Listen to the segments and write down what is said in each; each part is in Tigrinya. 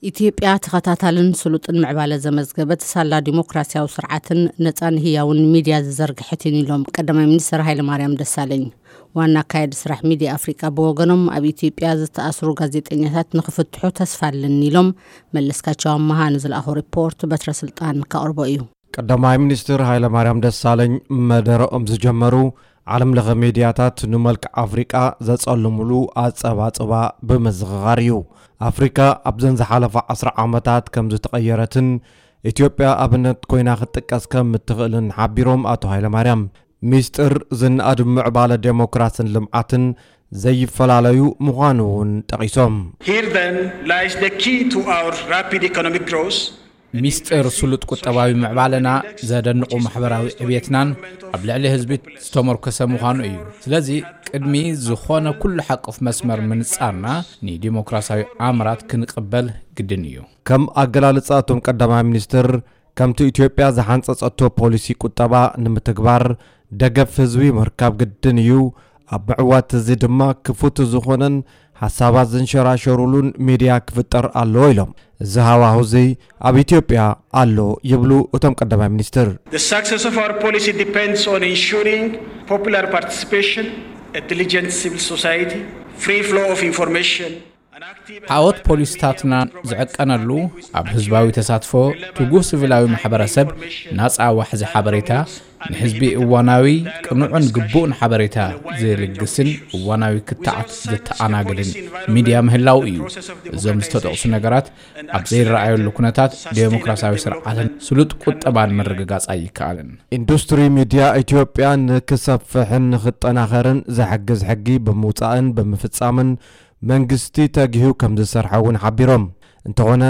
ኢትዮጵያ ተኸታታልን ስሉጥን ምዕባለ ዘመዝገበት፣ ሳላ ዲሞክራሲያዊ ስርዓትን ነፃን ህያውን ሚድያ ዝዘርግሐት እይን ኢሎም ቀዳማይ ሚኒስትር ሃይለማርያም ደሳለኝ። ዋና ኣካያዲ ስራሕ ሚድያ ኣፍሪቃ ብወገኖም፣ ኣብ ኢትዮጵያ ዝተኣስሩ ጋዜጠኛታት ንክፍትሑ ተስፋ ኣለኒ ኢሎም። መለስካቸው ኣመሃ ንዝለኣኾ ሪፖርት በትረ ስልጣን ካቕርቦ እዩ። ቀዳማይ ሚኒስትር ሃይለማርያም ደሳለኝ መደረኦም ዝጀመሩ፣ ዓለም ለኸ ሚድያታት ንመልክዕ ኣፍሪቃ ዘጸልምሉ ኣጸባጽባ ብምዝኽኻር እዩ። ኣፍሪካ ኣብዘን ዝሓለፋ ዓስራ ዓመታት ከም ዝተቐየረትን ኢትዮጵያ ኣብነት ኮይና ክትጥቀስ ከም እትኽእልን ሓቢሮም ኣቶ ሃይለማርያም፣ ሚስጥር ዝነኣድ ምዕባለ ዴሞክራስን ልምዓትን ዘይፈላለዩ ምዃኑ እውን ጠቒሶም። Here then lies the key to our rapid economic growth. ሚስጥር ስሉጥ ቁጠባዊ ምዕባለና፣ ዘደንቑ ማሕበራዊ ዕብየትናን ኣብ ልዕሊ ህዝቢ ዝተመርኮሰ ምዃኑ እዩ። ስለዚ ቅድሚ ዝኾነ ኩሉ ሓቆፍ መስመር ምንጻርና፣ ንዲሞክራሲያዊ ኣምራት ክንቕበል ግድን እዩ። ከም ኣገላልጻ እቶም ቀዳማይ ሚኒስትር፣ ከምቲ ኢትዮጵያ ዝሓንጸጸቶ ፖሊሲ ቁጠባ ንምትግባር ደገፍ ህዝቢ ምርካብ ግድን እዩ። ኣብ ምዕዋት እዚ ድማ ክፉት ዝኾነን ሓሳባት ዝንሸራሸሩሉን ሚድያ ክፍጠር ኣለዎ ኢሎም። እዚ ሃዋሁ እዚ ኣብ ኢትዮጵያ ኣሎ ይብሉ እቶም ቀዳማይ ሚኒስትር። The success of our policy depends on ensuring popular participation, a diligent civil society, free flow of information, an active ዓወት ፖሊሲታትና ዝዕቀነሉ፣ ኣብ ህዝባዊ ተሳትፎ፣ ትጉህ ሲቪላዊ ማሕበረሰብ፣ ናጻ ዋሕዚ ሓበሬታ፣ ንህዝቢ እዋናዊ፣ ቅኑዕን ግቡእን ሓበሬታ ዝልግስን እዋናዊ ክትዓት ዘተኣናግድን ሚድያ ምህላው እዩ። እዞም ዝተጠቕሱ ነገራት ኣብ ዘይረኣየሉ ኩነታት፣ ዴሞክራሲያዊ ስርዓትን ስሉጥ ቁጠባን ምርግጋጽ ኣይከኣልን። ኢንዱስትሪ ሚድያ ኢትዮጵያ ንክሰፍሕን ንክጠናኸርን ዝሕግዝ ሕጊ ብምውጻእን ብምፍጻምን መንግስቲ ተጊሁ ከም ዝሰርሐ እውን ሓቢሮም። እንተኾነ፣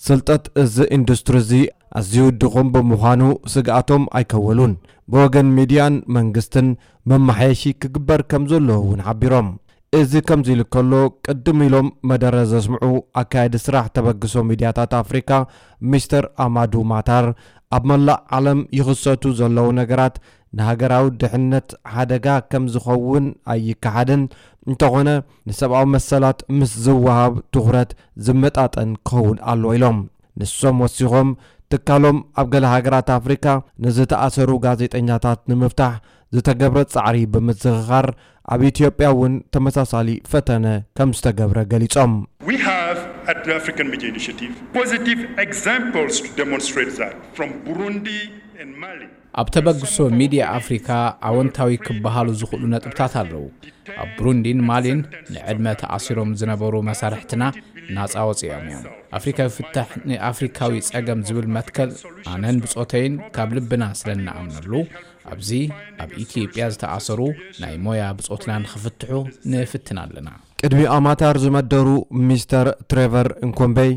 ስልጠት እዚ ኢንዱስትሪ እዚ ኣዝዩ ድኹም ብምዃኑ ስግኣቶም ኣይከወሉን። ብወገን ሚድያን መንግስትን መመሓየሺ ክግበር ከም ዘለዎ እውን ሓቢሮም። እዚ ከምዚ ኢሉ ከሎ፣ ቅድም ኢሎም መደረ ዘስምዑ ኣካያዲ ስራሕ ተበግሶ ሚድያታት ኣፍሪካ ሚስተር ኣማዱ ማታር፣ ኣብ መላእ ዓለም ይኽሰቱ ዘለዉ ነገራት ንሃገራዊ ድሕነት ሓደጋ ከም ዝኸውን ኣይከሓድን፣ እንተኾነ ንሰብኣዊ መሰላት ምስ ዝወሃብ ትኹረት ዝመጣጠን ክኸውን ኣለዎ ኢሎም። ንሶም ወሲኾም፣ ትካሎም ኣብ ገለ ሃገራት ኣፍሪካ ንዝተኣሰሩ ጋዜጠኛታት ንምፍታሕ ዝተገብረ ጻዕሪ ብምዝኽኻር፣ ኣብ ኢትዮጵያ እውን ተመሳሳሊ ፈተነ ከም ዝተገብረ ገሊጾም። We have at the African Media Initiative positive examples to demonstrate that from Burundi and Mali. ኣብ ተበግሶ ሚድያ ኣፍሪካ ኣወንታዊ ክበሃሉ ዝኽእሉ ነጥብታት ኣለዉ። ኣብ ብሩንዲን ማሊን ንዕድመ ተኣሲሮም ዝነበሩ መሳርሕትና ናጻ ወፂኦም እዮም። ኣፍሪካዊ ፍታሕ ንኣፍሪካዊ ጸገም ዝብል መትከል ኣነን ብጾተይን ካብ ልብና ስለ እንኣምነሉ፣ ኣብዚ ኣብ ኢትዮጵያ ዝተኣሰሩ ናይ ሞያ ብጾትና ንኽፍትሑ ንፍትን ኣለና። ቅድሚ ኣማታር ዝመደሩ ሚስተር ትሬቨር እንኮምቤይ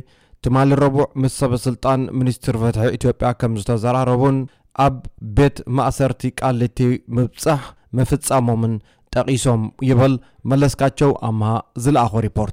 ትማሊ ረቡዕ ምስ ሰበ ስልጣን ሚኒስትር ፍትሒ ኢትዮጵያ ከም ዝተዘራረቡን ኣብ ቤት ማእሰርቲ ቃሊቲ ምብጻሕ ምፍጻሞምን ጠቒሶም ይብል መለስካቸው ኣምሃ ዝለኣኾ ሪፖርት።